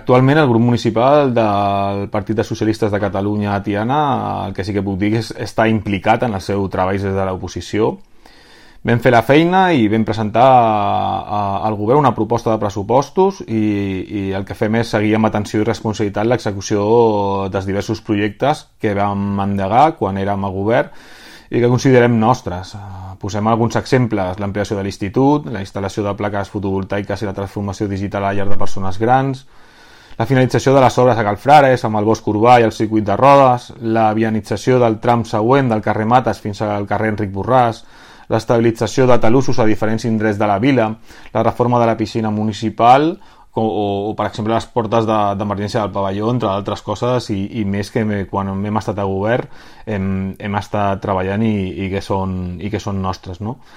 Actualment el grup municipal del Partit de Socialistes de Catalunya a Tiana, el que sí que puc dir és està implicat en el seu treball des de l'oposició. Vam fer la feina i vam presentar al govern una proposta de pressupostos i el que fem és seguir amb atenció i responsabilitat l'execució dels diversos projectes que vam endegar quan érem a govern i que considerem nostres. Posem alguns exemples: l'ampliació de l'institut, la instal·lació de plaques fotovoltaiques i la transformació digital a la llar de persones grans, la finalització de les obres a Calfrares amb el bosc urbà i el circuit de rodes, la vianització del tram següent del carrer Mates fins al carrer Enric Borràs, l'estabilització de talussos a diferents indrets de la vila, la reforma de la piscina municipal o per exemple, les portes d'emergència del pavelló, entre altres coses, i més que quan hem estat a govern hem estat treballant i que són nostres, no?